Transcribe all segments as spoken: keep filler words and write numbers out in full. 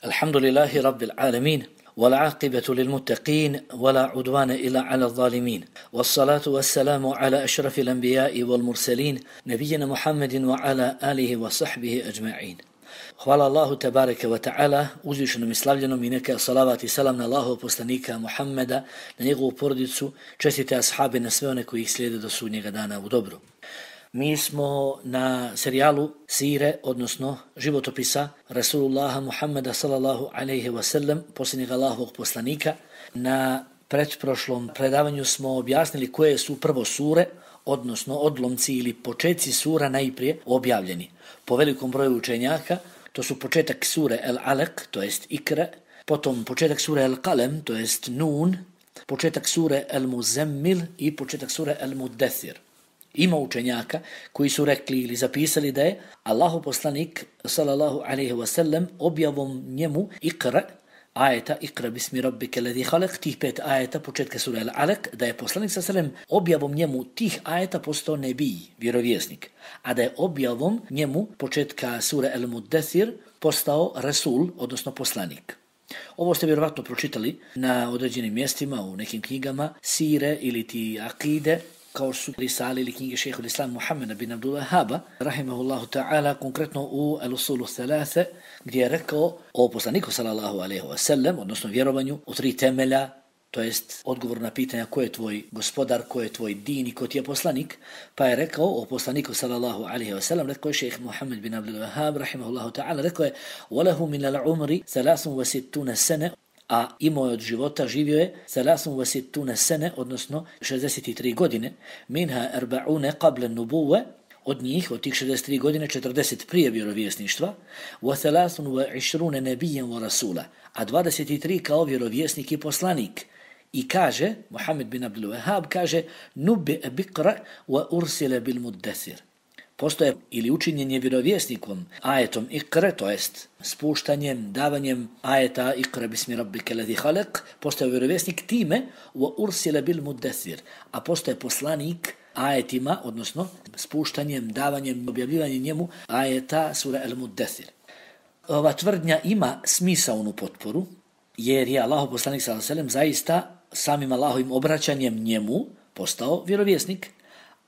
الحمد لله رب العالمين والعاقبة للمتقين ولا عدوان إلا على الظالمين والصلاة والسلام على أشرف الأنبياء والمرسلين نبينا محمد وعلى آله وصحبه أجمعين. Hvala Allahu tebareke ve ta'ala, uzvišenom i slavljenom i neka salavat i salam na Allahov poslanika Muhammeda, na njegovu porodicu, čestite ashabe, na sve one koji ih slijede do sudnjega dana u dobru. Mi smo na serijalu Sire, odnosno životopisa Rasulullaha Muhammeda sallallahu alaihi wa sallam, posljednjeg Allahovog poslanika. Na pretprošlom predavanju smo objasnili koje su prvo sure, odnosno odlomci ili početci sura najprije objavljeni. Po velikom broju učenjaka, to su početak sure El-Alaq, to jest Ikra, potom početak sure El-Qalem, to jest Nun, početak sure El-Muzammil i početak sure El-Muddathir. Ima učenjaka koji su rekli ili zapisali da je Allahu poslanik sallallahu alaihi wa sallam objavom njemu Ikra, ajeta Ikra bismi rabbike ladhi khalaq, tih pet ajeta početka sura Al-Alaq, da je poslanik sallallahu alaihi wa sallam objavom njemu tih ajeta postao nebij, vjerovjesnik, a da je objavom njemu početka sura Al-Muddathir postao Rasul, odnosno poslanik. Ovo ste vjerovatno pročitali na određenim mjestima, u nekim knjigama Sire ili ti Akide, kao su risale ili knjige šejhul Islam Muhammeda bin Abdul Wahhaba, rahimahullahu ta'ala, konkretno u Al-Usulu Thalathe, gdje je rekao o poslaniku sallallahu alaihi wa sallam, odnosno vjerovanju u tri temelja, to jest odgovor na pitanja ko je tvoj gospodar, ko je tvoj din i ko ti je poslanik, pa je rekao o poslaniku sallallahu alaihi wa sallam, rekao je šejh Muhammed bin Abdul Wahhab, rahimahullahu ta'ala, rekao je وَلَهُ مِنَ الْعُمْرِ ثَلَاثٌ وَسِتُّونَ سَنَةً, a imao je od života, živio je thalathun wa sittuna sene, odnosno šezdeset tri godine, minha arba'una qabla an-nubuwwa, od njih, od tih šezdeset tri godine, četrdeset prije vjerovjesništva, wa thalathun wa ishruna nabiyyan wa rasula, a dvadeset tri kao vjerovjesnik i poslanik. I kaže, Muhammed bin Abdul Wahhab kaže, nubbi biqra wa ursila bil muddathir. Postoje ili učinjenje vjerovjesnikom ajetom Ikra, to jest spuštanjem, davanjem ajeta Ikra bismi rabbike ladhi khalaq, postoje vjerovjesnik time wa ursila bil muddathir, a postoje poslanik ajetima, odnosno spuštanjem, davanjem, objavljivanjem njemu ajeta sura Al-Muddathir. Ova tvrdnja ima smisaonu potporu, jer je Allahov poslanik sallallahu alejhi ve sellem zaista samim Allahovim obraćanjem njemu postao vjerovjesnik,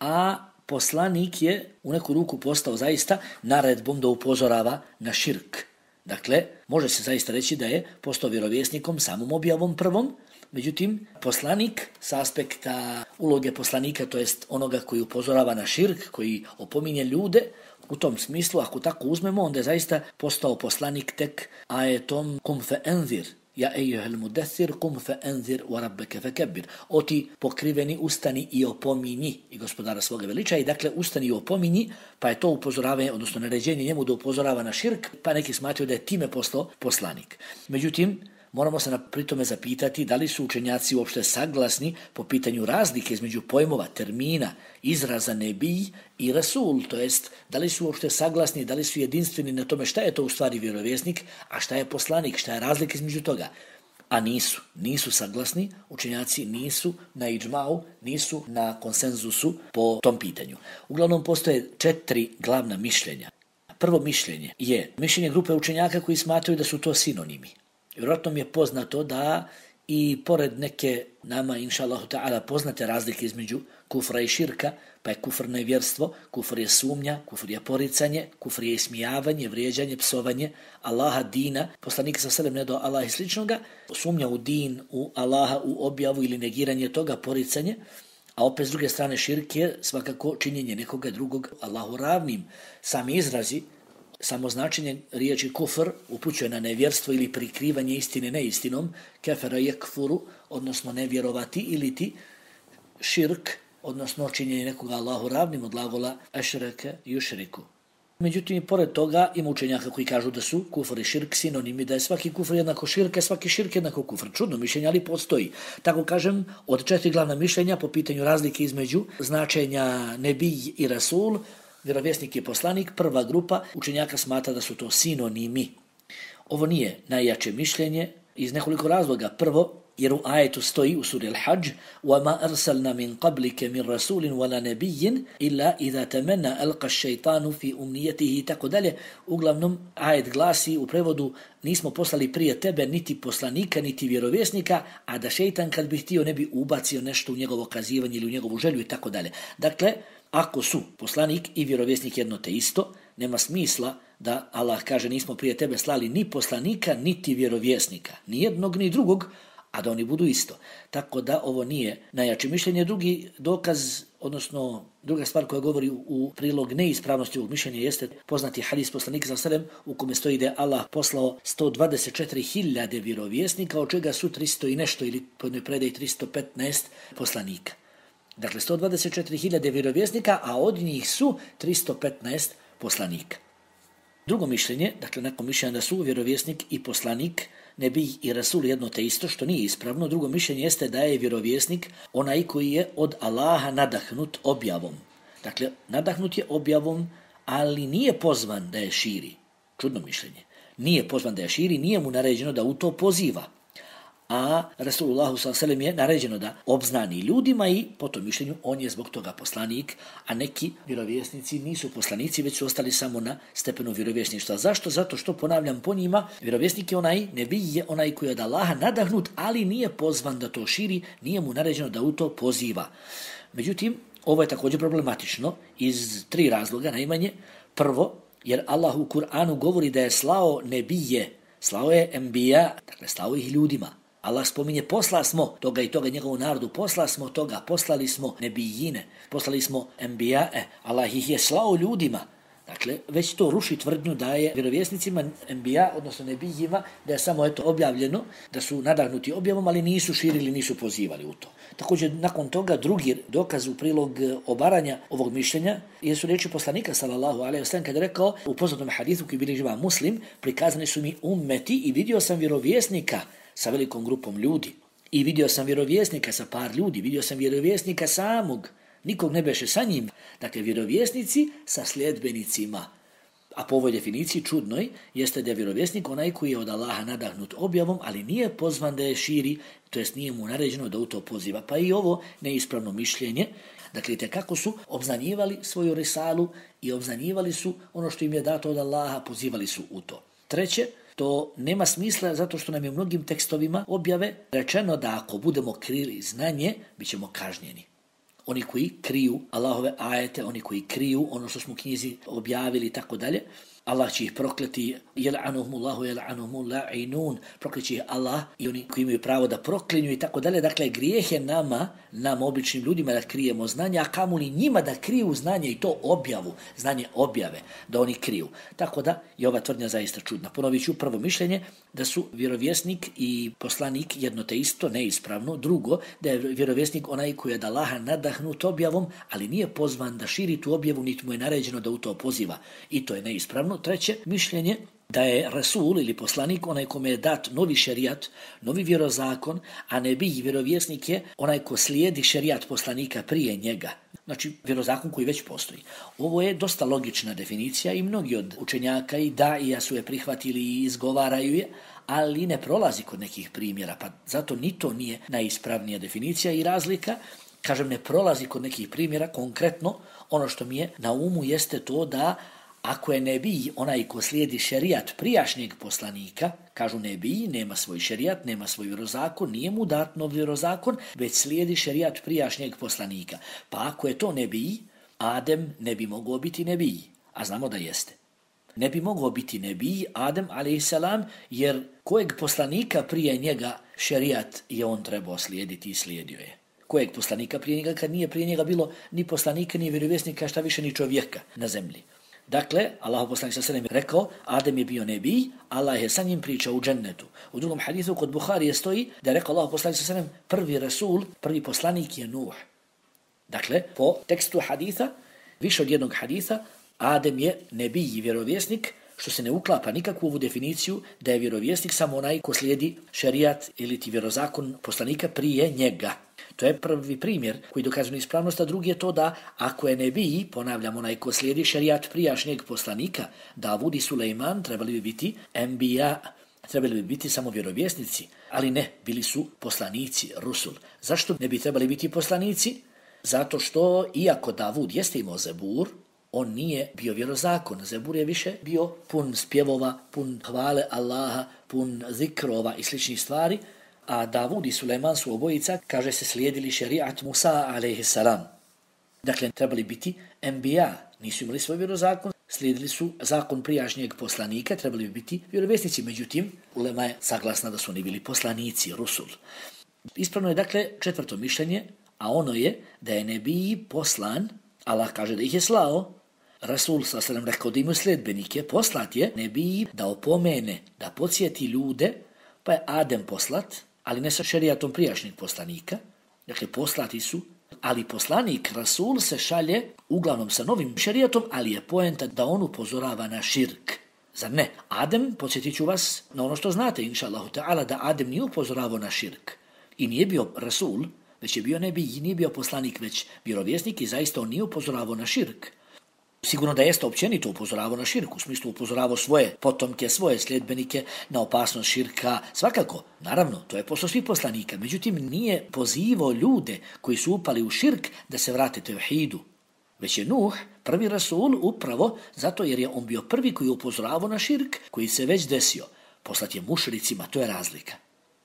a poslanik je u neku ruku postao zaista naredbom da upozorava na širk. Dakle, može se zaista reći da je postao vjerovjesnikom samom objavom prvom, međutim, poslanik sa aspekta uloge poslanika, to jest onoga koji upozorava na širk, koji opominje ljude, u tom smislu, ako tako uzmemo, onda je zaista postao poslanik tek ajetom kum fe enzir, ja ejuhel mudathir kum fe enzir wa rabbeke fe kebbir. O ti pokriveni ustani i opominji i gospodara svoga veliča, i dakle ustani i opominji, pa je to upozoravanje, odnosno naređenje njemu da upozorava na širk, pa neki smatraju da je time postao poslanik. Međutim, moramo se pritome zapitati da li su učenjaci uopšte saglasni po pitanju razlike između pojmova, termina, izraza nebij i rasul, to jest da li su uopšte saglasni, da li su jedinstveni na tome šta je to u stvari vjerovjesnik, a šta je poslanik, šta je razlika između toga. A nisu, nisu saglasni, učenjaci nisu na iđmau, nisu na konsenzusu po tom pitanju. Uglavnom postoje četiri glavna mišljenja. Prvo mišljenje je mišljenje grupe učenjaka koji smatraju da su to sinonimi. Vjerojatno mi je poznato da i pored neke nama, inša Allahu ta'ala, poznate razlike između kufra i širka, pa je kufr nevjerstvo, kufr je sumnja, kufr je poricanje, kufr je ismijavanje, vrijeđanje, psovanje Allaha, dina, poslanika sa selem ne do Allaha i sličnoga, sumnja u din, u Allaha, u objavu ili negiranje toga, poricanje, a opet s druge strane širk je svakako činjenje nekoga drugog Allahu ravnim. Sami izrazi, samo značenje riječi kufr upućuje na nevjerstvo ili prikrivanje istine neistinom, kefera yekfuru, odnosno nevjerovati, ili ti širk, odnosno činjenje nekoga Allahu ravnim, od glagola ašreke yušriku. Međutim, pored toga ima učenjaka koji kažu da su kufr i širk sinonimi, da je svaki kufr jednako širk, a svaki širk jednako kufr. Čudno mišljenje, ali postoji. Tako kažem, od četiri glavna mišljenja po pitanju razlike između značenja nebij i rasul, vjerovjesnik i poslanik, prva grupa učenjaka smatra da su to sinonimi. Ovo nije najjače mišljenje iz nekoliko razloga. Prvo, Jer u ajetu stoji u suri Al-Hajj وَمَا أَرْسَلْنَا مِنْ قَبْلِكَ مِنْ رَسُولٍ وَلَا نَبِيٍّ إِلَّا إِذَا تَمَنَّا أَلْقَى الشَّيْطَانُ فِي أُمْنِيَتِهِ tako dalje. Uglavnom, ajet glasi u prevodu nismo poslali prije tebe niti poslanika, niti vjerovjesnika, a da šejtan kad bi htio ne bi ubacio nešto u njegovo kazivanje ili u njegovu želju i tako dalje. Dakle, ako su poslanik i vjerovjesnik jedno te isto, nema smisla da Allah kaže nismo prije tebe slali ni poslanika, niti vjerovjesnika, ni jednog ni drugog, a da oni budu isto. Tako da ovo nije najjače mišljenje. Drugi dokaz, odnosno druga stvar koja govori u prilog neispravnosti ovog mišljenja jeste poznati hadis poslanika sallallahu alejhi ve sellem u kome stoji da je Allah poslao sto dvadeset četiri hiljade vjerovjesnika, od čega su tristo i nešto ili po jednoj predaji tristo petnaest poslanika. Dakle, sto dvadeset četiri hiljade vjerovjesnika, a od njih su tristo petnaest poslanika. Drugo mišljenje, dakle nakon mišljenja da su vjerovjesnik i poslanik, nebi i rasul jedno te isto, što nije ispravno. Drugo mišljenje jeste da je vjerovjesnik onaj koji je od Allaha nadahnut objavom. Dakle, nadahnut je objavom, ali nije pozvan da je širi. Čudno mišljenje. Nije pozvan da je širi, nije mu naređeno da u to poziva. A Rasulullahu sallallahu alejhi ve sellem je naređeno da obznani ljudima i po tom mišljenju on je zbog toga poslanik, a neki vjerovjesnici nisu poslanici, već su ostali samo na stepenu vjerovjesništva. Zašto? Zato što, ponavljam po njima, vjerovjesnik je onaj, nebi je onaj koji je od Allaha nadahnut, ali nije pozvan da to širi, nije mu naređeno da u to poziva. Međutim, ovo je također problematično iz tri razloga. Najmanje, prvo, jer Allah u Kur'anu govori da je slao nebije, slao je embija, dakle slao ih ljudima. Allah spominje posla smo toga i toga njegovu narodu, posla smo toga, poslali smo nebijine, poslali smo embijae, Allah ih je slao ljudima. Dakle, već to ruši tvrdnju da je vjerovjesnicima embija, odnosno nebijima, da je samo eto objavljeno, da su nadahnuti objavom, ali nisu širili, nisu pozivali u to. Također, nakon toga, drugi dokaz u prilog obaranja ovog mišljenja jesu riječi poslanika, sallallahu alejhi ve sellem, kada je rekao u poznatom hadithu koji bilježi Imam Muslim, prikazani su mi ummeti i vidio sam vjerovjesnika sa velikom grupom ljudi. I vidio sam vjerovjesnika sa par ljudi, vidio sam vjerovjesnika samog, nikog ne beše sa njim. Dakle, vjerovjesnici sa sljedbenicima. A po ovoj definiciji čudnoj jeste da je vjerovjesnik onaj koji je od Allaha nadahnut objavom, ali nije pozvan da je širi, to jest nije mu naređeno da u to poziva. Pa i ovo neispravno mišljenje. Dakle, kako su obznanjivali svoju risalu i obznanjivali su ono što im je dato od Allaha, pozivali su u to. Treće, to nema smisla zato što nam je u mnogim tekstovima objave rečeno da ako budemo krili znanje, bit ćemo kažnjeni. Oni koji kriju Allahove ajete, oni koji kriju ono što smo u knjizi objavili i tako dalje, Allah će ih prokleti, jel'anuhumullahu jel'anuhumul la'inun, prokleće ih Allah i oni koji imaju pravo da proklinju i tako dalje. Dakle, grijeh je nama, nam običnim ljudima da krijemo znanje, a kamoli njima da kriju znanje i to objavu, znanje objave, da oni kriju. Tako da je ova tvrdnja zaista čudna. Ponovit ću prvo mišljenje da su vjerovjesnik i poslanik jedno te isto, neispravno. Drugo, da je vjerovjesnik onaj koji je od Allaha nadahnut objavom, ali nije pozvan da širi tu objavu, niti mu je naređeno da u to poziva. I to je neispravno. Treće, mišljenje da je Rasul ili poslanik onaj kome je dat novi šerijat, novi vjerozakon, a nebij vjerovjesnik je onaj ko slijedi šerijat poslanika prije njega. Znači, vjerozakon koji već postoji. Ovo je dosta logična definicija i mnogi od učenjaka i daija su je prihvatili i izgovaraju je, ali ne prolazi kod nekih primjera, pa zato ni to nije najispravnija definicija i razlika. Kažem, ne prolazi kod nekih primjera, konkretno ono što mi je na umu jeste to da ako je nebij onaj ko slijedi šerijat prijašnjeg poslanika, kažu nebij, nema svoj šerijat, nema svoj vjerozakon, nije mu dat nov vjerozakon, već slijedi šerijat prijašnjeg poslanika. Pa ako je to nebij, Adem ne bi mogao biti nebij, a znamo da jeste. Ne bi mogao biti nebij, Adem alejhiselam, jer kojeg poslanika prije njega šerijat je on trebao slijediti i slijedio je. Kojeg poslanika prije njega, kad nije prije njega bilo ni poslanika, ni vjerovjesnika, šta više ni čovjeka na zemlji. Dakle, Allahu poslanik sallallahu alejhi ve sellem rekao, Adem je bio nebij, Allah je sa njim pričao u džennetu. U drugom hadisu kod Buharije stoji da je rekao Allahu poslanik sallallahu alejhi ve sellem, prvi rasul, prvi poslanik je Nuh. Dakle, po tekstu haditha, više od jednog haditha, Adem je nebij i vjerovjesnik, što se ne uklapa nikakvu ovu definiciju da je vjerovjesnik samo onaj ko slijedi šerijat ili ti vjerozakon poslanika prije njega. To je prvi primjer koji dokazuje ispravnost, a drugi je to da ako je nebij, ponavljam, onaj ko slijedi šerijat prijašnjeg poslanika, Davud i Sulejman trebali bi biti embija, trebali bi biti samo vjerovjesnici, ali ne, bili su poslanici, rusul. Zašto ne bi trebali biti poslanici? Zato što, iako Davud jeste imao Zebur, on nije bio vjerozakon. Zebur je više bio pun spjevova, pun hvale Allaha, pun zikrova i sličnih stvari, a Davud i Sulejman su obojica, kaže se, slijedili šerijat Musa alejhiselam. Dakle, trebali biti enbija, nisu imali svoj vjerozakon, slijedili su zakon prijašnjeg poslanika, trebali bi biti vjerovjesnici. Međutim, ulema je saglasna da su oni bili poslanici, rusul. Ispravno je dakle četvrto mišljenje, a ono je da je nebiji poslan, Allah kaže da ih je slao, Rasul sallallahu alejhi ve sellem rekao da imaju sledbenike, poslat je nebiji da opomene, da podsjeti ljude, pa je Adem poslat, ali ne sa šerijatom prijašnjeg poslanika, dakle poslati su, ali poslanik Rasul se šalje uglavnom sa novim šerijatom, ali je poenta da on upozorava na širk. Zar ne? Adem, podsjetit ću vas na ono što znate, inša Allahu ta'ala, da Adem nije upozoravao na širk i nije bio Rasul, već je bio nebij, nije bio poslanik, već vjerovjesnik i zaista on nije upozoravao na širk. Sigurno da jeste općenito upozoravao na širk, u smislu upozoravao svoje potomke, svoje sljedbenike na opasnost širka, svakako, naravno, to je posao svih poslanika, međutim nije pozivao ljude koji su upali u širk da se vrate tevhidu, već je Nuh prvi Rasul upravo zato jer je on bio prvi koji upozoravao na širk koji se već desio. Poslat je mušricima, to je razlika.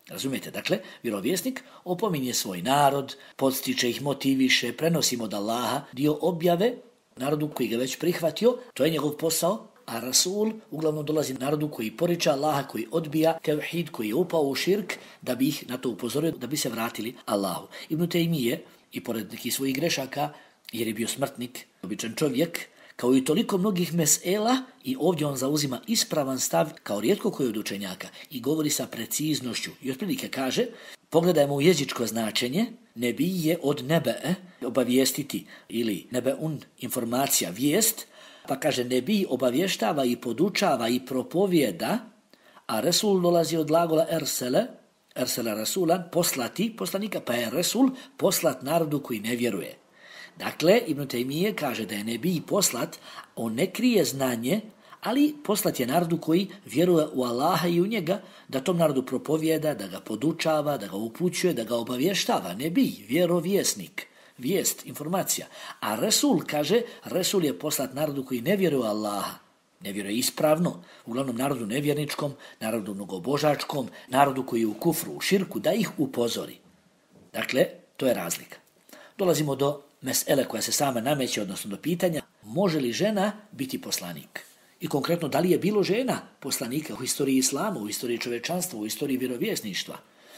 Razumijete, dakle, vjerovjesnik opominje svoj narod, podstiče ih, motiviše, prenosi od Allaha dio objave narodu koji ga već prihvatio, to je njegov posao, a Rasul uglavnom dolazi narodu koji poriča Allaha, koji odbija tevhid, koji je upao u širk, da bi ih na to upozorio, da bi se vratili Allahu. Ibn Tejmije, i pored nekih svojih grešaka, jer je bio smrtnik, običan čovjek, kao i toliko mnogih mesela, i ovdje on zauzima ispravan stav kao rijetko koji od učenjaka i govori sa preciznošću. I otprilike kaže, pogledajmo u jezičko značenje, nebij je od nebe, obavijestiti, ili nebeun, informacija, vijest, pa kaže nebij obavještava i podučava i propovjeda, a Resul dolazi od glagola ersele, ersele Rasulan, poslati poslanika, pa je Resul poslat narodu koji ne vjeruje. Dakle, Ibn Tejmije kaže da je nebij poslat, on ne krije znanje, ali poslat je narodu koji vjeruje u Allaha i u njega, da tom narodu propovjeda, da ga podučava, da ga upućuje, da ga obavještava. Nebij, vjerovjesnik, vijest, informacija. A Resul kaže, Resul je poslat narodu koji ne vjeruje u Allaha, ne vjeruje ispravno, uglavnom narodu nevjerničkom, narodu mnogobožačkom, narodu koji je u kufru, u širku, da ih upozori. Dakle, to je razlika. Dolazimo do mesele koja se sama nameće, odnosno do pitanja, može li žena biti poslanik? I konkretno, da li je bilo žena poslanika u istoriji islama, u istoriji čovečanstva, u istoriji vjerovjesništva?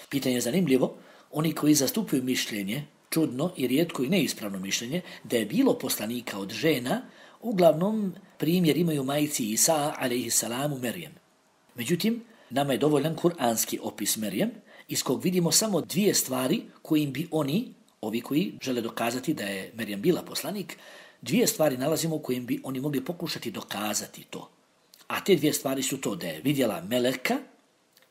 Pitanje je zanimljivo. Oni koji zastupuju mišljenje, čudno i rijetko i neispravno mišljenje, da je bilo poslanika od žena, uglavnom primjer imaju majci Isa, alejhissalamu, Merjem. Međutim, nama je dovoljan kuranski opis Merjem, iz kog vidimo samo dvije stvari kojim bi oni, ovi koji žele dokazati da je Merjem bila poslanik, dvije stvari nalazimo u kojim bi oni mogli pokušati dokazati to. A te dvije stvari su to da je vidjela meleka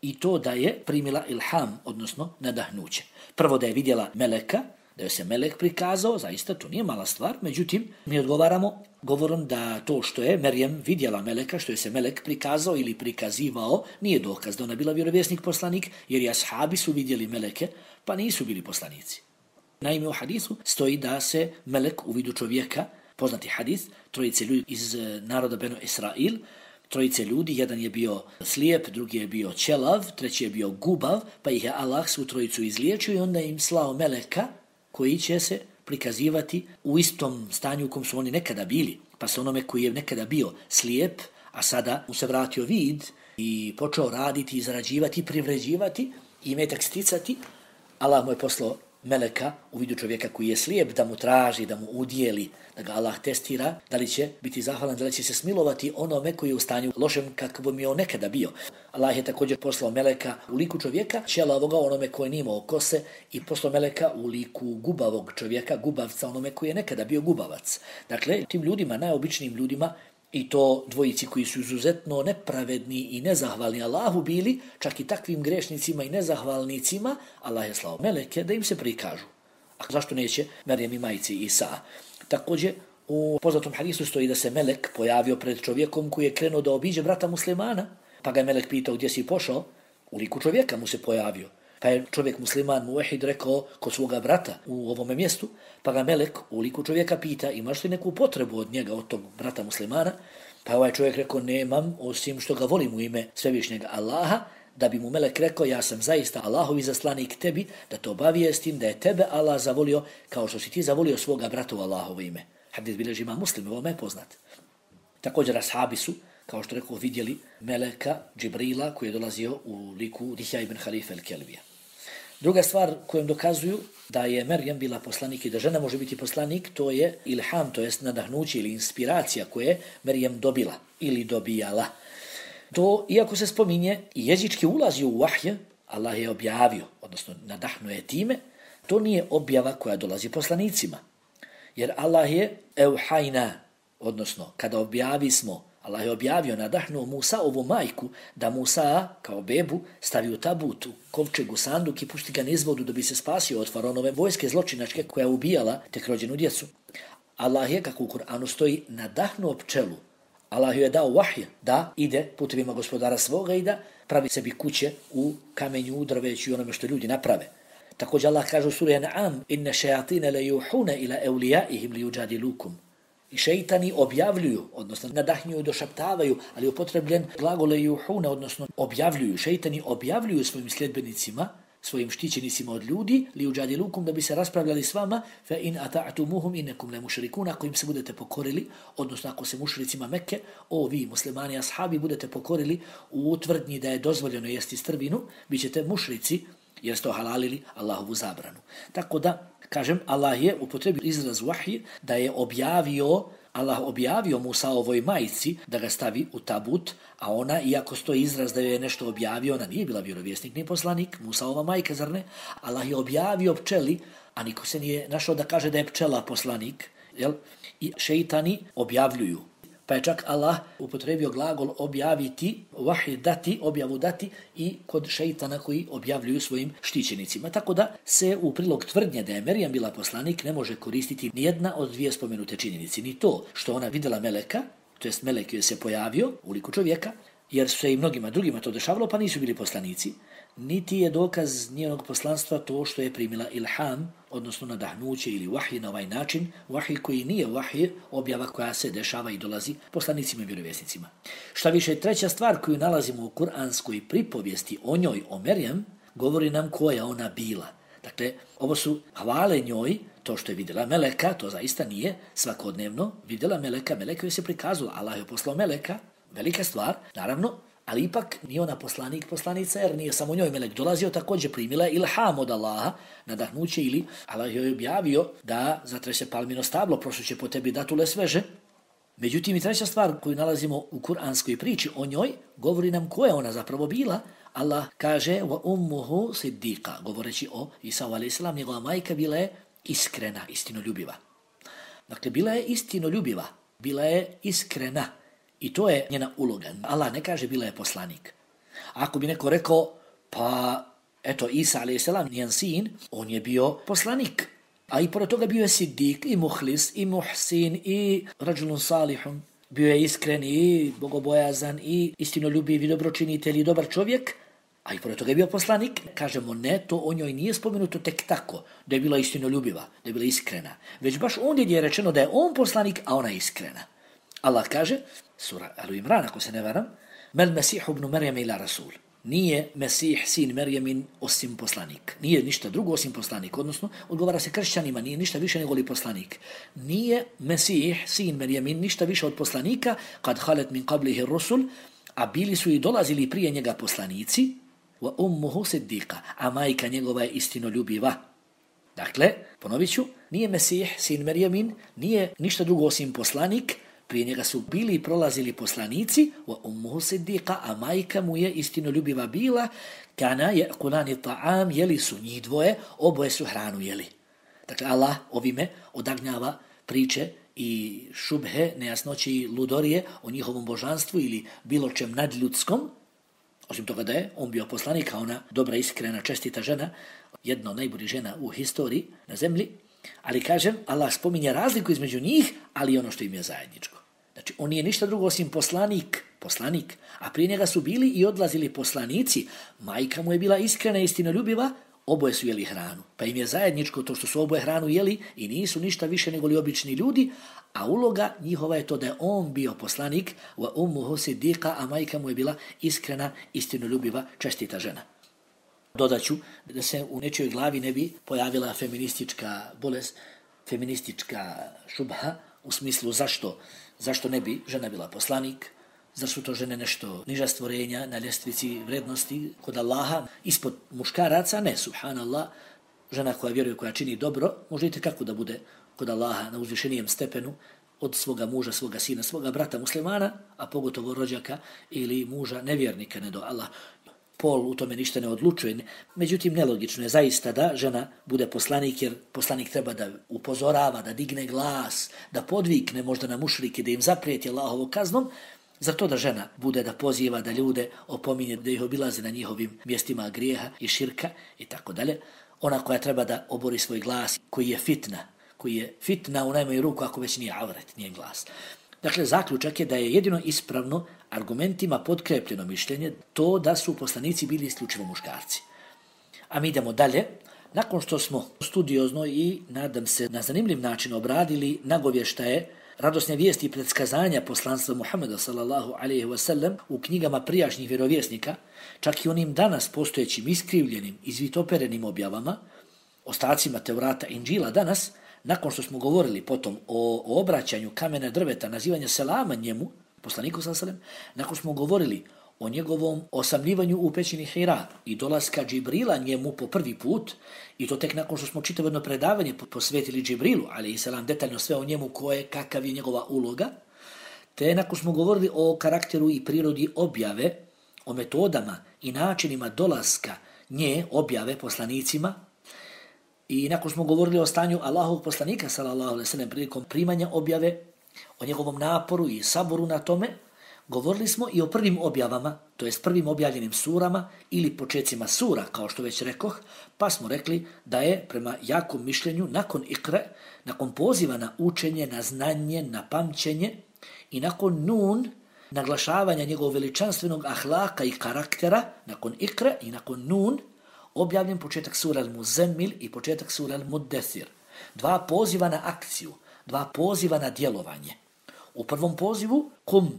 i to da je primila ilham, odnosno nadahnuće. Prvo da je vidjela meleka, da je se melek prikazao, zaista to nije mala stvar, međutim mi odgovaramo govorom da to što je Merjem vidjela meleka, što je se melek prikazao ili prikazivao, nije dokaz da ona bila vjerovjesnik poslanik, jer i ashabi su vidjeli meleke, pa nisu bili poslanici. Naime, u hadisu stoji da se melek u vidu čovjeka, poznati hadis, trojice ljudi iz naroda Benu Israil, trojice ljudi, jedan je bio slijep, drugi je bio ćelav, treći je bio gubav, pa ih je Allah svu trojicu izliječio i onda im slao meleka koji će se prikazivati u istom stanju u kom su oni nekada bili. Pa se onome koji je nekada bio slijep, a sada mu se vratio vid i počeo raditi, zarađivati, privređivati i imetak sticati, Allah mu je poslao meleka u vidu čovjeka koji je slijep, da mu traži, da mu udjeli, da ga Allah testira, da li će biti zahvalan, da li će se smilovati onome koji je u stanju lošem kako bi on nekada bio. Allah je također poslao meleka u liku čovjeka, ćelavoga onome koji nije imao kose, i poslao meleka u liku gubavog čovjeka, gubavca onome koji je nekada bio gubavac. Dakle, tim ljudima, najobičnijim ljudima, i to dvojici koji su izuzetno nepravedni i nezahvalni Allahu bili, čak i takvim grešnicima i nezahvalnicima, Allah je slao meleke da im se prikažu. A zašto neće Merjem i majci Isa? Također, u poznatom hadisu stoji da se melek pojavio pred čovjekom koji je krenuo da obiđe brata muslimana, pa ga je melek pitao gdje si pošao, u liku čovjeka mu se pojavio. Pa je čovjek musliman muvahid rekao kod svoga brata u ovome mjestu, pa ga melek u liku čovjeka pita imaš li neku potrebu od njega, od tog brata muslimana? Pa ovaj čovjek rekao nemam, osim što ga volim u ime svevišnjega Allaha, da bi mu melek rekao ja sam zaista Allahovi zaslanik tebi, da te obavijestim da je tebe Allah zavolio kao što si ti zavolio svoga brata u Allahovo ime. Hadis bilježi Imam Muslim, ovo me poznat. Također ashabi su, kao što rekao, vidjeli meleka Džibrila koji je dolazio u liku Dihja ibn Halife el-Kelbija. Druga stvar kojom dokazuju da je Merjem bila poslanik i da žena može biti poslanik, to je ilham, to jest nadahnuće ili inspiracija koje je Merjem dobila ili dobijala. To, iako se spominje i jezički ulazi u vahje, Allah je objavio, odnosno nadahnuje time, to nije objava koja dolazi poslanicima. Jer Allah je euhajna, odnosno kada objavi smo, Allah je objavio, nadahnuo Musa ovu majku, da Musa kao bebu stavi u tabut, u kovčegu, sanduk i pušti ga niz vodu da bi se spasio od faraonove vojske zločinačke koja je ubijala tek rođenu djecu. Allah je, kako u Kur'anu stoji, nadahnuo pčelu. Allah je dao vahje da ide putevima gospodara svoga i da pravi sebi kuće u kamenju, u drveću i onome što ljudi naprave. Također Allah kaže u suri An'am inna šajatine le juhune ila eulijaihim li juđadilukum. I šeitani objavljuju, odnosno nadahnjuju, došaptavaju, ali upotrebljen glagole juhune, odnosno objavljuju. Šeitani objavljuju svojim sljedbenicima, svojim štićenicima od ljudi, li uđadilukum, da bi se raspravljali s vama, fe in ata'atumuhum innekum le mušrikun, ako im se budete pokorili, odnosno ako se mušricima Mekke, o vi muslimani ashabi budete pokorili u tvrdnji da je dozvoljeno jesti strvinu, bit ćete mušrici, jer ste halalili Allahovu zabranu. Tako da, kažem, Allah je upotrebio izraz vahij da je objavio, Allah objavio Musa ovoj majici da ga stavi u tabut, a ona, iako stoji izraz da je nešto objavio, ona nije bila vjerovjesnik ni poslanik, Musa ova majka, zar ne? Allah je objavio pčeli, a niko se nije našao da kaže da je pčela poslanik, jel? I šeitani objavljuju. Pa je čak Allah upotrebio glagol objaviti, vahij dati, objavu dati i kod šeitana koji objavljuju svojim štićenicima. Tako da se u prilog tvrdnje da je Merjem bila poslanik ne može koristiti nijedna od dvije spomenute činjenici. Ni to što ona vidjela meleka, to jest melek joj se pojavio u liku čovjeka, jer su se i mnogima drugima to dešavalo pa nisu bili poslanici, niti je dokaz njenog poslanstva to što je primila ilham, odnosno nadahnuće ili vahij na ovaj način, vahij koji nije vahij, objava koja se dešava i dolazi poslanicima i vjerovjesnicima. Šta više, treća stvar koju nalazimo u kuranskoj pripovijesti o njoj, o Merjem, govori nam koja ona bila. Dakle, ovo su hvale njoj, to što je vidjela meleka, to zaista nije svakodnevno, vidjela meleka, meleka joj se prikazala, Allah je poslao meleka, velika stvar, naravno, ali ipak nije ona poslanik, poslanica, jer nije samo njoj melek dolazio, također primila ilham od Allaha, nadahnuće ili Allah joj objavio da zatrese palmino stablo, prošlo će po tebi datule sveže. Međutim, i treća stvar koju nalazimo u kuranskoj priči o njoj, govori nam ko je ona zapravo bila. Allah kaže, wa ummuhu siddiqa, govoreći o Isau alejhi selam, njegova majka bila je iskrena, istinoljubiva. Dakle, bila je istinoljubiva, bila je iskrena. I to je njena uloga. Allah ne kaže bila je poslanik. Ako bi neko rekao, pa eto Isa alejhi selam, njen sin, on je bio poslanik. A i pored toga bio je siddik, i muhlis, i muhsin, i rađulun salihun. Bio je iskren i bogobojazan, i istinoljubiv, i dobročinitelj, i dobar čovjek. A i pored toga je bio poslanik. Kažemo ne, to o njoj nije spomenuto tek tako, da je bila istinoljubiva, da je bila iskrena. Već baš ondje je rečeno da je on poslanik, a ona je iskrena. Allah kaže, sura Al-Imran, ako se ne varam, Mel Mesihu ibn Merjeme ila Rasul. Nije Mesih, sin Merjemin, osim poslanik. Nije ništa drugo osim poslanik. Odnosno, odgovara se kršćanima, nije ništa više nego li poslanik. Nije Mesih, sin Merjemin, ništa više od poslanika, kad halet min qablihi rusul, a bili su i dolazili prije njega poslanici, wa ummuhu siddiqa, a majka njegova je istinoljubiva. Dakle, ponovit ću, nije Mesih, sin Merjemin, nije ništa drugo osim poslanik, prije njega su bili i prolazili poslanici, wa ummuhu siddiqa, a majka mu je istinoljubiva bila, kana ya'kulani ta'am, jeli su njih dvoje, oboje su hranu jeli. Dakle, Allah ovime odagnjava priče i šubhe, nejasnoće i ludorije o njihovom božanstvu ili bilo čem nadljudskom, osim toga da je on bio poslanik, a ona dobra, iskrena, čestita žena, jedna od najboljih žena u historiji na zemlji, ali kažem, Allah spominje razliku između njih, ali ono što im je zajedničko. Znači, on nije ništa drugo osim poslanik poslanik, a prije njega su bili i odlazili poslanici, majka mu je bila iskrena i istinoljubiva, oboje su jeli hranu. Pa im je zajedničko to što su oboje hranu jeli i nisu ništa više nego li obični ljudi, a uloga njihova je to da je on bio poslanik, wa ummuhu siddiqa, a majka mu je bila iskrena, istinoljubiva, čestita žena. Dodaću da se u nečijoj glavi ne bi pojavila feministička bolest, feministička šubha, u smislu zašto, zašto ne bi žena bila poslanik, zašto su to žene nešto niža stvorenja na ljestvici vrednosti kod Allaha, ispod muškaraca, ne, subhanallah, žena koja vjeruje, koja čini dobro, može i kako da bude kod Allaha na uzvišenijem stepenu od svoga muža, svoga sina, svoga brata muslimana, a pogotovo rođaka ili muža nevjernika, ne do Allah. Pol u tome ništa ne odlučuje. Međutim, nelogično je zaista da žena bude poslanik, jer poslanik treba da upozorava, da digne glas, da podvikne možda na mušrike, da im zaprijeti Allahovom kaznom, zato da žena bude da poziva, da ljude opominje, da ih obilaze na njihovim mjestima grijeha i širka i tako dalje. Ona koja treba da obori svoj glas, koji je fitna, koji je fitna u najmanju ruku ako već nije avret, nije glas. Dakle, zaključak je da je jedino ispravno argumentima potkrepljeno mišljenje to da su poslanici bili isključivo muškarci. A mi idemo dalje. Nakon što smo studiozno i, nadam se, na zanimljiv način obradili nagovještaje, radosne vijesti i predskazanja poslanstva Muhameda sallallahu alejhi ve sellem u knjigama prijašnjih vjerovjesnika, čak i onim danas postojećim iskrivljenim, izvitoperenim objavama, ostacima Tevrata i Inđila danas, nakon što smo govorili potom o, o obraćanju kamena drveta, nazivanja selama njemu, poslaniku sallallahu alejhi ve sellem, nakon smo govorili o njegovom osamljivanju u pećini Hira i dolaska Džibrila njemu po prvi put, i to tek nakon što smo čitavo jedno predavanje posvetili Džibrilu, alejhi selam, detaljno sve o njemu, ko je, kakav je njegova uloga, te nakon smo govorili o karakteru i prirodi objave, o metodama i načinima dolaska nje, objave poslanicima, i nakon smo govorili o stanju Allahovog poslanika, sallallahu alejhi ve sellem, prilikom primanja objave, o njegovom naporu i saboru na tome, govorili smo i o prvim objavama, to jest prvim objavljenim surama ili počecima sura, kao što već rekoh, pa smo rekli da je prema jakom mišljenju nakon ikre, nakon poziva na učenje, na znanje, na pamćenje i nakon nun, naglašavanja njegovog veličanstvenog ahlaka i karaktera, nakon ikre i nakon nun, objavljen početak sura Al-Muzammil i početak sura Al-Muddethir. Dva poziva na akciju, dva poziva na djelovanje. U prvom pozivu, kum,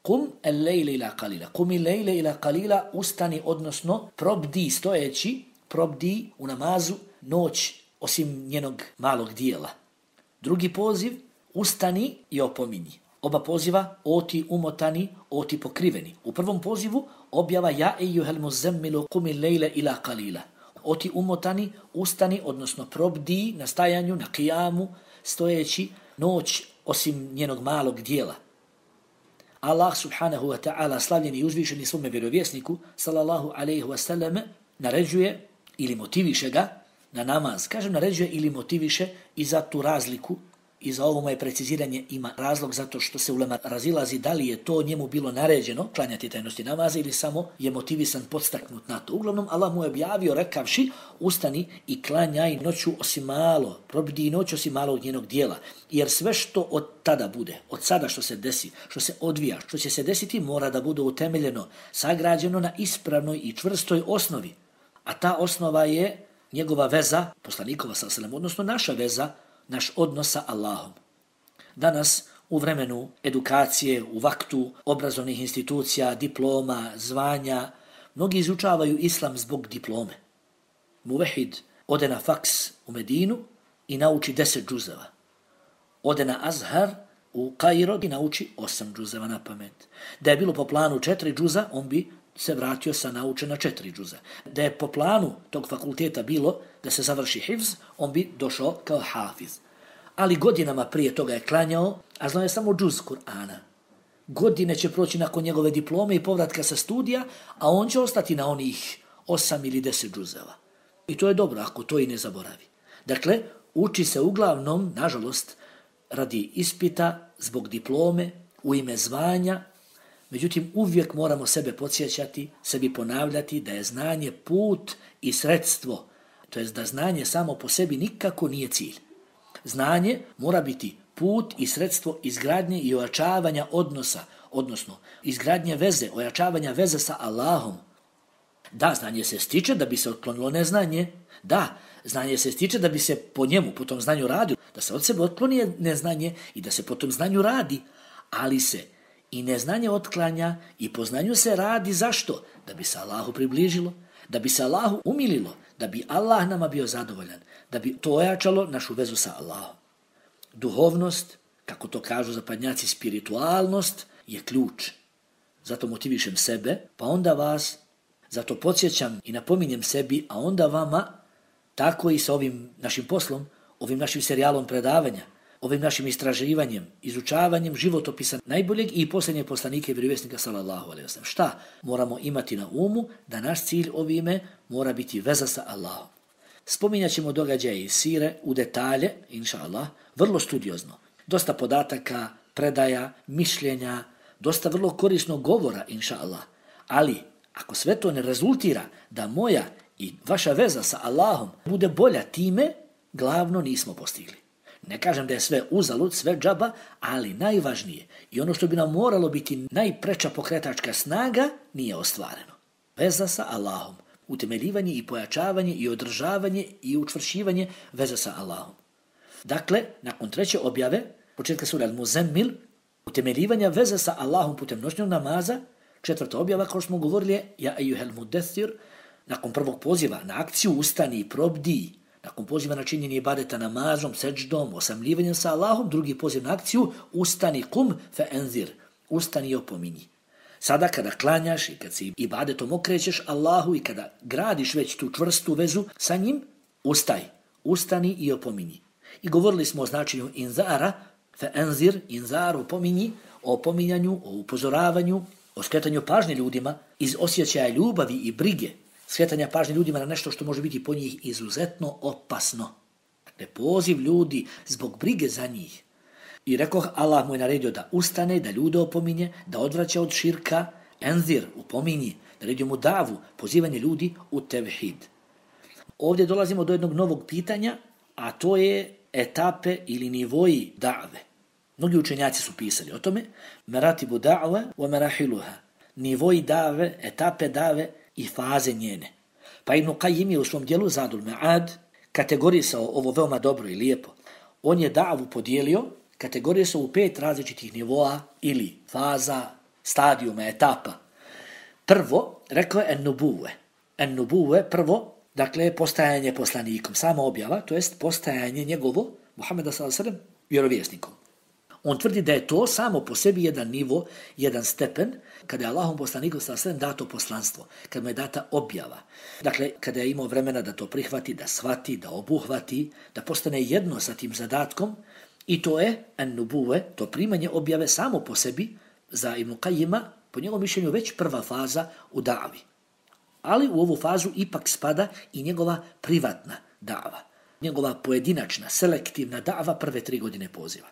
kum el-lejle ila qalila, kum il-lejle ila qalila, ustani, odnosno probdi, stojeći, probdi u namazu noć, osim njenog malog dijela. Drugi poziv, ustani i opominji. Oba poziva, oti umotani, oti pokriveni. U prvom pozivu objava ja ejuhel muzemmilu kumi lejle ila qalila. Oti umotani, ustani, odnosno probdi na stajanju, na kijamu, stojeći noć osim njenog malog dijela. Allah subhanahu wa ta'ala, slavljeni i uzvišeni svome vjerovjesniku, sallallahu alejhi ve sellem, naređuje ili motiviše ga na namaz. Kažem naređuje ili motiviše i za tu razliku, i za ovo moje preciziranje ima razlog zato što se ulema razilazi da li je to njemu bilo naređeno, klanjati tajnosti namaza, ili samo je motivisan, podstaknut na to. Uglavnom, Allah mu je objavio rekavši, ustani i klanjaj noću osim malo, probdi noć osim malog njenog dijela. Jer sve što od tada bude, od sada što se desi, što se odvija, što će se desiti, mora da bude utemeljeno, sagrađeno na ispravnoj i čvrstoj osnovi. A ta osnova je njegova veza, poslanikova sallallahu alejhi ve sellem, odnosno naša veza, naš odnos sa Allahom. Danas, u vremenu edukacije, u vaktu obrazovnih institucija, diploma, zvanja, mnogi izučavaju islam zbog diplome. Muvehid ode na faks u Medinu i nauči deset džuzeva. Ode na Azhar u Kairo i nauči osam džuzeva na pamet. Da je bilo po planu četiri džuza, on bi se vratio sa naučena četiri džuza. Da je po planu tog fakulteta bilo da se završi hifz, on bi došao kao hafiz. Ali godinama prije toga je klanjao, a znao je samo džuz Kur'ana. Godine će proći nakon njegove diplome i povratka sa studija, a on će ostati na onih osam ili deset džuzeva. I to je dobro ako to i ne zaboravi. Dakle, uči se uglavnom, nažalost, radi ispita, zbog diplome, u ime zvanja. Međutim, uvijek moramo sebe podsjećati, sebi ponavljati da je znanje put i sredstvo. To jest da znanje samo po sebi nikako nije cilj. Znanje mora biti put i sredstvo izgradnje i ojačavanja odnosa, odnosno izgradnje veze, ojačavanja veze sa Allahom. Da, znanje se stiče da bi se otklonilo neznanje. Da, znanje se stiče da bi se po njemu, po tom znanju radilo, da se od sebe otkloni neznanje i da se po tom znanju radi. Ali se i neznanje otklanja i po znanju se radi zašto? Da bi se Allahu približilo, da bi se Allahu umililo, da bi Allah nama bio zadovoljan, da bi to ojačalo našu vezu sa Allahom. Duhovnost, kako to kažu zapadnjaci, spiritualnost je ključ. Zato motivišem sebe, pa onda vas, zato podsjećam i napominjem sebi, a onda vama, tako i sa ovim našim poslom, ovim našim serijalom predavanja, ovim našim istraživanjem, izučavanjem životopisa najboljeg i posljednjeg poslanika i vjerovjesnika sallallahu alejhi ve sellem. Šta moramo imati na umu? Da naš cilj ovime mora biti veza sa Allahom. Spominjat ćemo događaje iz sire u detalje, inša Allah, vrlo studiozno. Dosta podataka, predaja, mišljenja, dosta vrlo korisnog govora, inša Allah. Ali, ako sve to ne rezultira da moja i vaša veza sa Allahom bude bolja, time glavno nismo postigli. Ne kažem da je sve uzalud, sve džaba, ali najvažnije i ono što bi nam moralo biti najpreča pokretačka snaga nije ostvareno. Veza sa Allahom, utemeljivanje i pojačavanje i održavanje i učvršivanje veze sa Allahom. Dakle, nakon treće objave, početka sure Al-Muzammil, utemeljivanja veze sa Allahom putem noćnog namaza, četvrta objava, kao što smo govorili, je Ja ejuhel mudaththir, nakon prvog poziva na akciju ustani i probdi, nakon poziva na činjenje ibadeta namazom, seđdom, osamljivanjem sa Allahom, drugi poziv na akciju, ustani kum fe enzir, ustani i opominji. Sada kada klanjaš i kad se ibadetom okrećeš Allahu i kada gradiš već tu čvrstu vezu sa njim, ustaj, ustani i opominji. I govorili smo o značenju inzara, fe enzir, inzar, opominji, o opominjanju, o upozoravanju, o skretanju pažnje ljudima iz osjećaja ljubavi i brige, skretanja pažnje ljudima na nešto što može biti po njih izuzetno opasno. Dakle, poziv ljudi zbog brige za njih. I rekoh, Allah mu je naredio da ustane, da ljude opominje, da odvraća od širka, enzir, upominji, naredio mu davu, pozivanje ljudi u tevhid. Ovdje dolazimo do jednog novog pitanja, a to je etape ili nivoji da've. Mnogi učenjaci su pisali o tome, meratibu da've wa merahiluha, nivoji da've, etape da've i faze njene. Pa Ibn Qayyim je u svom dijelu Zadul Ma'ad kategorisao ovo veoma dobro i lijepo. On je da'vu podijelio, kategorisao u pet različitih nivoa ili faza, stadijuma, etapa. Prvo, rekao je en-nubuve. En-nubuve, prvo, dakle, postajanje poslanikom, sama objava, to jest postajanje njegovo, Muhameda sallallahu alejhi ve sellem, vjerovjesnikom. On tvrdi da je to samo po sebi jedan nivo, jedan stepen, kada je Allahom poslaniku sallallahu alejhi ve sellem dato poslanstvo, kada mu je data objava. Dakle, kada je imao vremena da to prihvati, da shvati, da obuhvati, da postane jedno sa tim zadatkom, i to je en-nubuve, to primanje objave samo po sebi, za Ibn Qayyima, po njegovom mišljenju, već prva faza u davi. Ali u ovu fazu ipak spada i njegova privatna dava, njegova pojedinačna, selektivna dava prve tri godine poziva.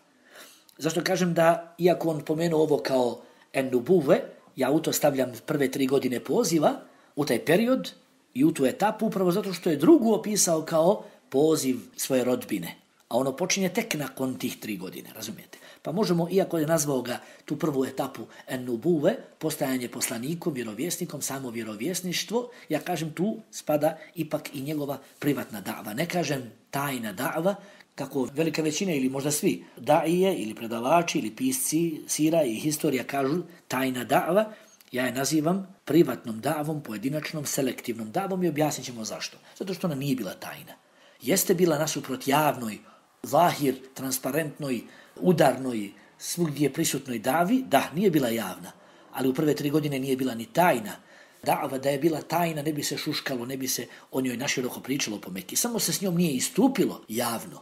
Zašto kažem da, iako on pomenuo ovo kao en-nubuve, ja u to stavljam prve tri godine poziva, u taj period i u tu etapu, upravo zato što je drugu opisao kao poziv svoje rodbine. A ono počinje tek nakon tih tri godine, razumijete? Pa možemo, iako je nazvao ga tu prvu etapu en-nubuve, postajanje poslanikom, vjerovjesnikom, samo vjerovjesništvo, ja kažem tu spada ipak i njegova privatna da'va. Ne kažem tajna da'va, kako velika većina ili možda svi daije ili predavači ili pisci sira i historija kažu tajna da'va, ja je nazivam privatnom da'vom, pojedinačnom, selektivnom da'vom i objasnit ćemo zašto. Zato što ona nije bila tajna. Jeste bila nasuprot javnoj, zahir, transparentnoj, udarnoj, svugdje prisutnoj davi, da, nije bila javna, ali u prve tri godine nije bila ni tajna. Da'va da je bila tajna, ne bi se šuškalo, ne bi se o njoj naširoko pričalo po Meki. Samo se s njom nije istupilo javno,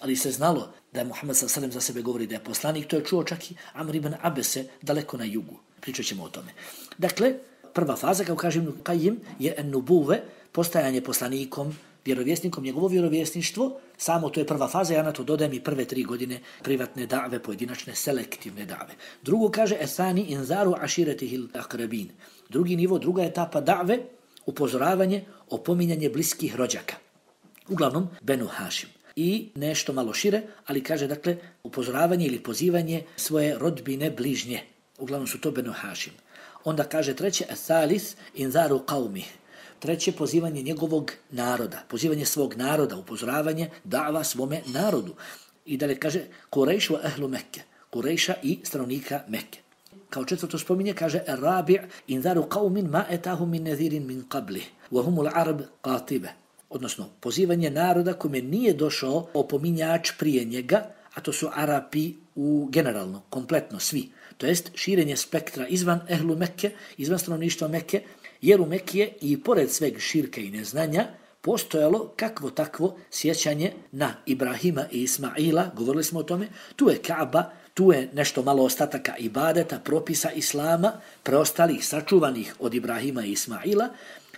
ali se znalo da je Muhammed sallallahu alejhi ve sellem za sebe govori da je poslanik, to je čuo čak i Amr ibn Abese daleko na jugu. Pričat ćemo o tome. Dakle, prva faza, kao kažem Ibn Qayyim, je en-nubuve, postajanje poslanikom, vjerovjesnikom, njegovo vjerovjesništvo, samo to je prva faza, ja na to dodajem i prve tri godine privatne da've, pojedinačne, selektivne da've. Drugo kaže, esani inzaru aširetihil akrabin. Drugi nivo, druga etapa da've, upozoravanje, opominjanje bliskih rođaka. Uglavnom, Benu Hašim. I nešto malo šire, ali kaže, dakle, upozoravanje ili pozivanje svoje rodbine bližnje. uglavnom su to Benu Hašim. Onda kaže treće, thalith inzaru qaumi. Treće, pozivanje njegovog naroda, pozivanje svog naroda, upozoravanje, dava svome narodu. I dalje kaže, Kurejš wa ahlu Mekke, Kurejša i stanovnika Mekke. Kao četvrto spominje, kaže, Rabi' inzaru qaumin ma etahum min nadhirin min qablih, wa humul arab qatibe. Odnosno, pozivanje naroda kome nije došao opominjač prije njega, a to su Arapi u generalno, kompletno svi. To jest širenje spektra izvan ehlu Mekke, izvan stanovništva Mekke, jer u Mekke i pored sveg širka i neznanja postojalo kakvo takvo sjećanje na Ibrahima i Ismaila, govorili smo o tome, tu je Kaaba, tu je nešto malo ostataka ibadeta, propisa Islama, preostalih, sačuvanih od Ibrahima i Ismaila,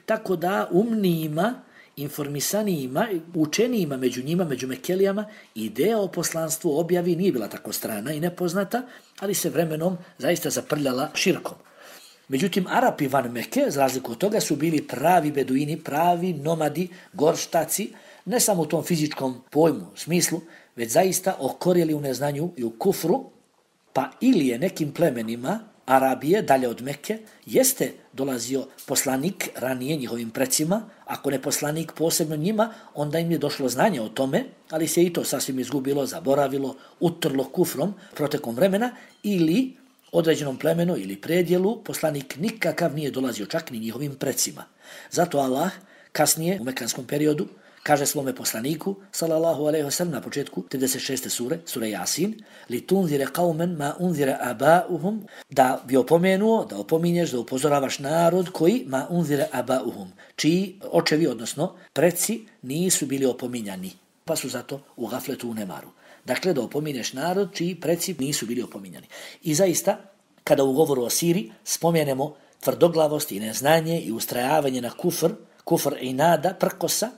tako da umnijima, informisanijima, učenijima među njima, među Mekelijama, ideja o poslanstvu objavi nije bila tako strana i nepoznata, ali se vremenom zaista zaprljala širkom. Međutim, Arapi van Mekke, za razliku od toga, su bili pravi beduini, pravi nomadi, gorštaci, ne samo u tom fizičkom pojmu, smislu, već zaista okorjeli u neznanju i u kufru, pa ili je nekim plemenima Arabije, dalje od Mekke, jeste dolazio poslanik ranije njihovim precima, ako ne poslanik posebno njima, onda im je došlo znanje o tome, ali se i to sasvim izgubilo, zaboravilo, utrlo kufrom protekom vremena, ili određenom plemenu ili predjelu poslanik nikakav nije dolazio čak ni njihovim precima. Zato Allah kasnije u mekanskom periodu kaže svome poslaniku, sallallahu alejhi ve sellem, na početku trideset šeste sure, sure Jasin, li tunzire qauman ma unzire aba'uhum, da bi opomenuo, da opominješ, da upozoravaš narod koji ma unzire aba'uhum, čiji očevi, odnosno preci, nisu bili opominjani, pa su zato u gafletu, u nemaru. Dakle, da opominješ narod čiji preci nisu bili opominjani. I zaista, kada u govoru o Siri spomenemo tvrdoglavost i neznanje i ustrajavanje na kufr, kufr i nada, prkosa,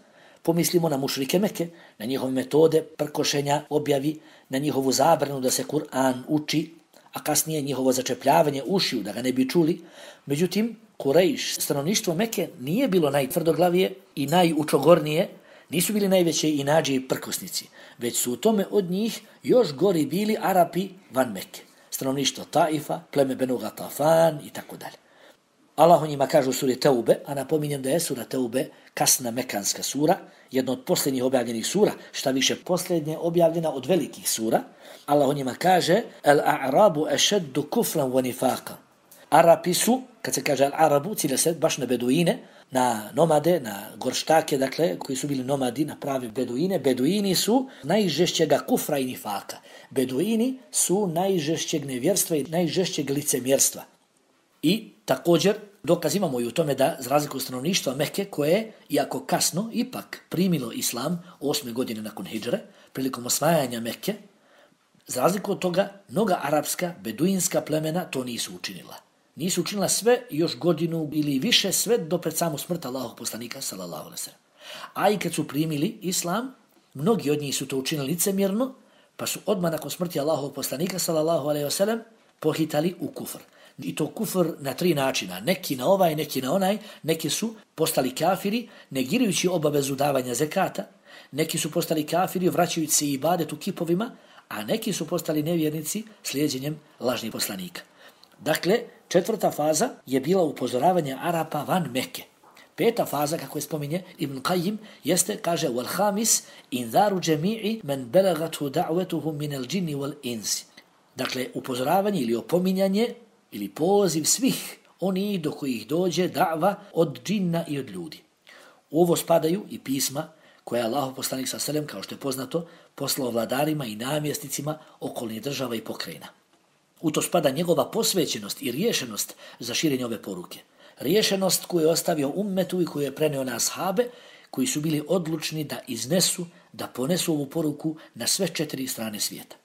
pomislimo na mušrike Mekke, na njihove metode prkošenja objavi, na njihovu zabranu da se Kur'an uči, a kasnije njihovo začepljavanje ušiju da ga ne bi čuli. Međutim, Kurejš, stanovništvo Mekke, nije bilo najtvrdoglavije i najučogornije, nisu bili najveće inađe i prkosnici, već su u tome od njih još gori bili Arapi van Mekke, stanovništvo Taifa, pleme Benu Gatafan i tako dalje. Allah o njima kaže u suri Teube, a napominjem da je sura Teube kasna mekanska sura, jedna od posljednjih objavljenih sura, šta više posljednje objavljena od velikih sura. Allah o njima kaže Al-a'rabu ešeddu kufran wa nifaqa. Arapi su, kad se kaže Al-arabu, cilja se baš na beduine, na nomade, na gorštake, dakle, koji su bili nomadi, na pravi beduine. Beduini su najžešćega kufra i nifaka. Beduini su najžešćeg nevjerstva i najžešćeg licemjerstva. I također dokaz imamo i u tome da, za razliku stanovništva Mekke, koje, iako kasno, ipak primilo islam osme godine nakon hidžre, prilikom osvajanja Mekke, za razliku od toga, mnoga arapska, beduinska plemena to nisu učinila. Nisu učinila sve još godinu ili više, sve do pred samu smrt Allahovog poslanika, sallallahu alejhi ve sellem. A i kad su primili islam, mnogi od njih su to učinili licemjerno, pa su odmah nakon smrti Allahovog poslanika, sallallahu alejhi ve sellem, pohitali u kufr. I to kufr na tri načina, neki na ovaj, neki na onaj, neki su postali kafiri, negirajući obavezu davanja zekata, neki su postali kafiri vraćajući se ibadet u kipovima, a neki su postali nevjernici slijedjenjem lažnih poslanika. Dakle, četvrta faza je bila upozoravanje Arapa van Mekke. Peta faza, kako je spominje Ibn Qayyim, jeste, kaže, wal khamis inzaru jami'i man balagathu da'watuhu min al-jinni wal insi. Dakle, upozoravanje ili opominjanje ili poziv svih oni do kojih dođe da'va od džinna i od ljudi. U ovo spadaju i pisma koje je Allahov poslanik sallallahu alejhi ve sellem, kao što je poznato, poslao vladarima i namjesnicima okolnih država i pokrajina. U to spada njegova posvećenost i riješenost za širenje ove poruke. Riješenost koju je ostavio ummetu i koju je preneo na ashabe, koji su bili odlučni da iznesu, da ponesu ovu poruku na sve četiri strane svijeta.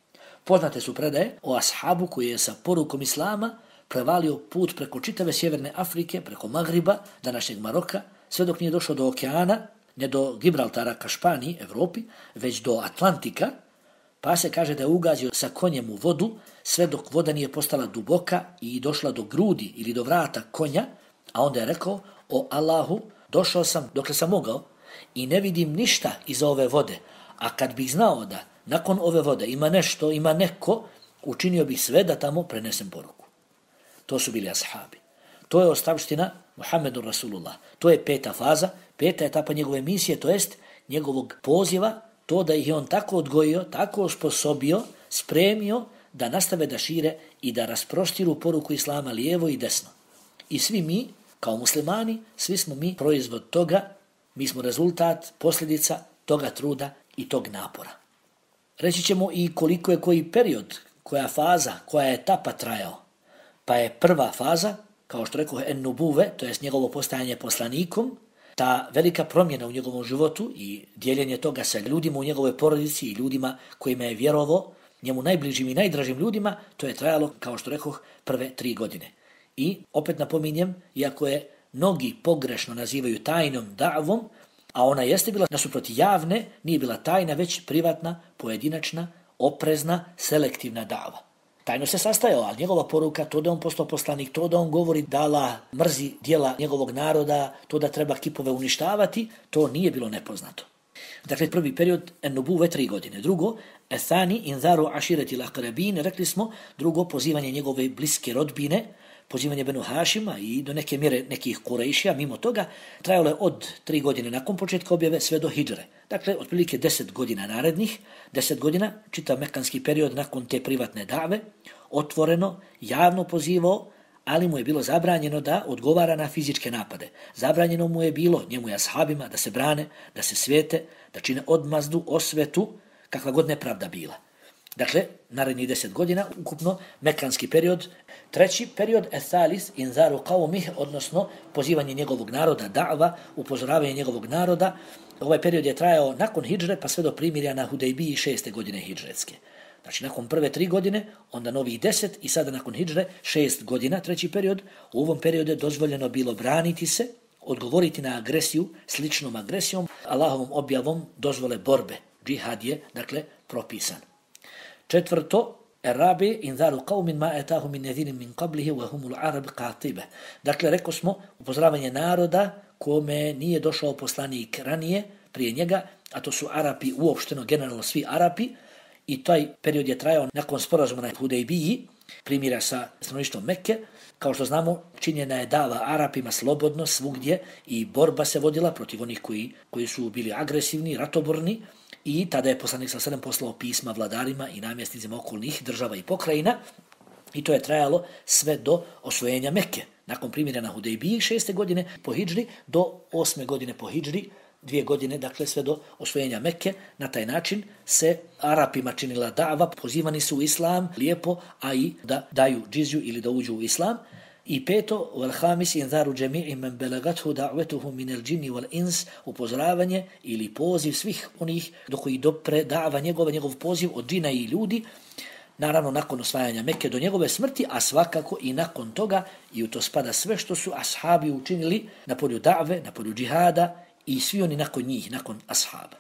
Poznate su predaje o ashabu koji je sa porukom islama prevalio put preko čitave sjeverne Afrike, preko Magriba, današnjeg Maroka, sve dok nije došao do okeana, ne do Gibraltara ka Španiji, Evropi, već do Atlantika, pa se kaže da je ugazio sa konjem u vodu, sve dok voda nije postala duboka i došla do grudi ili do vrata konja, a onda je rekao, o Allahu, došao sam dokle sam mogao i ne vidim ništa iz ove vode, a kad bih znao da nakon ove vode ima nešto, ima neko, učinio bih sve da tamo prenesem poruku. to su bili ashabi. To je ostavština Muhammedu Rasulullah. To je peta faza, peta etapa njegove misije, to jest njegovog poziva, to da ih je on tako odgojio, tako osposobio, spremio da nastave da šire i da rasprostiru poruku Islama lijevo i desno. I svi mi, kao muslimani, svi smo mi proizvod toga, mi smo rezultat, posljedica toga truda i tog napora. Reći ćemo i koliko je koji period, koja faza, koja je etapa trajao. Pa je prva faza, kao što rekao en-nubuve, to jest njegovo postajanje poslanikom, ta velika promjena u njegovom životu i dijeljenje toga sa ljudima u njegovoj porodici i ljudima kojima je vjerovao, njemu najbližim i najdražim ljudima, to je trajalo, kao što rekoh, prve tri godine. I opet napominjem, iako je mnogi pogrešno nazivaju tajnom da'vom, a ona jeste bila nasuprot javne, nije bila tajna, već privatna, pojedinačna, oprezna, selektivna da'va. Tajno se sastajao, ali njegova poruka, to da on postao poslanik, to da on govori da Allah mrzi djela njegovog naroda, to da treba kipove uništavati, to nije bilo nepoznato. Dakle, prvi period en-nubuve tri godine. Drugo, ethani inzaru ašireti l'aqrabin, rekli smo, drugo, pozivanje njegove bliske rodbine, pozivanje Benu Hašima i do neke mjere nekih Kurejšija, mimo toga, trajalo je od tri godine nakon početka objave sve do hidžre. Dakle, otprilike deset godina narednih, deset godina, čitav mekanski period nakon te privatne dave, otvoreno, javno pozivao, ali mu je bilo zabranjeno da odgovara na fizičke napade. Zabranjeno mu je bilo, njemu i ashabima, da se brane, da se svijete, da čine odmazdu, osvetu, kakva god nepravda bila. Dakle, narednih deset godina, ukupno mekanski period. Treći period, ethalis inzaru qaumih, odnosno pozivanje njegovog naroda, da'va, upozoravanje njegovog naroda. Ovaj period je trajao nakon hidžre, pa sve do primirja na Hudejbiji šeste godine hidžretske. Znači, nakon prve tri godine, onda novih deset i sada nakon hidžre šest godina, treći period. U ovom periodu je dozvoljeno bilo braniti se, odgovoriti na agresiju, sličnom agresijom, Allahovom objavom dozvole borbe. Džihad je, dakle, propisan. Četvrto, Erabi inzaru qaumin ma atahu min nadhirin min qablihi wa humul arab qatiba. Dakle, rekao smo, upozoravanje naroda kome nije došao poslanik ranije, prije njega, a to su Arapi, uopšteno, generalno svi Arapi, i taj period je trajao nakon sporazuma na Hudejbiji, primjera sa stanovništvom Mekke. Kao što znamo, činjena je dava Arapima slobodno svugdje i borba se vodila protiv onih koji, koji su bili agresivni, ratoborni, i tada je poslanik sallallahu alejhi ve sellem poslao pisma vladarima i namjesnicima okolnih država i pokrajina, i to je trajalo sve do osvojenja Mekke. Nakon primjera na Hudejbiji šeste godine po hidžri do osme godine po hidžri, dvije godine, dakle sve do osvojenja Mekke. Na taj način se Arapima činila da'va, pozivani su u islam lijepo, a i da daju džizju ili da uđu u islam. I peto, wal khamis inzaru jami'i man balagathu da'watuhu min al-jinni wal ins, upozoravanje ili poziv svih onih do kojih dopre da'va njegova, njegov poziv od džina i ljudi, naravno nakon osvajanja Mekke do njegove smrti, a svakako i nakon toga, i u to spada sve što su ashabi učinili na polju da've, na polju džihada i svi oni nakon njih, nakon ashaba.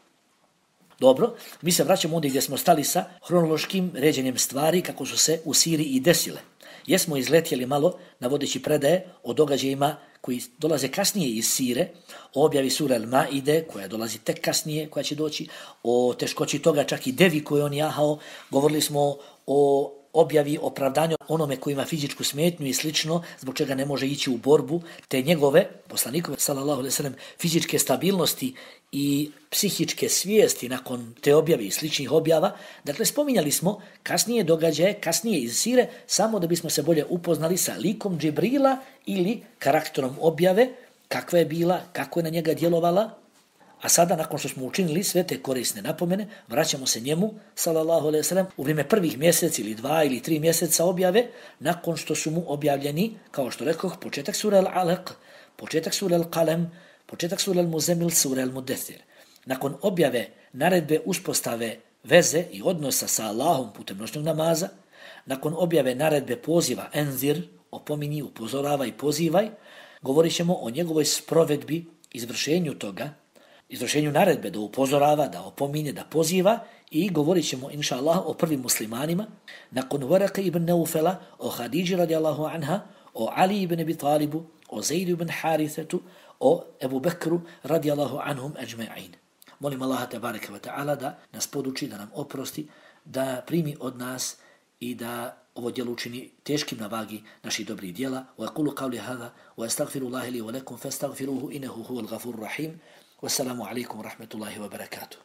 Dobro, mi se vraćamo ovdje gdje smo stali sa hronološkim ređenjem stvari kako su se u Siriji i desile. Jesmo izletjeli malo navodeći predaje o događajima koji dolaze kasnije iz Sire, o objavi sure Al-Maide, koja dolazi tek kasnije, koja će doći, o teškoći toga čak i devi koju on jahao, govorili smo o objavi opravdanju onome koji ima fizičku smetnju i slično, zbog čega ne može ići u borbu, te njegove, poslanikove, sallallahu alejhi ve sellem, fizičke stabilnosti i psihičke svijesti nakon te objave i sličnih objava. Dakle, spominjali smo kasnije događaje, kasnije iz Sire, samo da bismo se bolje upoznali sa likom Džibrila ili karakterom objave, kakva je bila, kako je na njega djelovala. A sada, nakon što smo učinili sve te korisne napomene, vraćamo se njemu, sallallahu alejhi ve sellem, u vrijeme prvih mjesec ili dva ili tri mjeseca objave, nakon što su mu objavljeni, kao što rekoh, početak sure Al-Alaq, početak sure Al-Qalam, početak sure Al-Muzammil, sure Al-Mudaththir. Nakon objave naredbe uspostave veze i odnosa sa Allahom putem noćnog namaza, nakon objave naredbe poziva enzir, opominji, upozoravaj, pozivaj, govorit ćemo o njegovoj sprovedbi, izvršenju toga, izvršenju naredbe da upozorava, da opominje, da poziva, i govorit ćemo, inša Allah, o prvim muslimanima, nakon Waraka ibn Naufela, o Hadidži radijallahu anha, o Ali ibn Abi Talibu, o Zaidu ibn Harithetu, o Ebu Bekru radijallahu anhum ajma'in. Molim Allaha tabaraka wa ta'ala da nas poduči, da nam oprosti, da primi od nas i da ovo djelo učini teškim na vagi naših dobrih djela. Wa aqulu qawli hadha wa astaghfirullaha li wa lakum fastaghfiruhu innahu huwal ghafurur rahim. Wassalamu alaikum wa rahmatullahi wa barakatuh.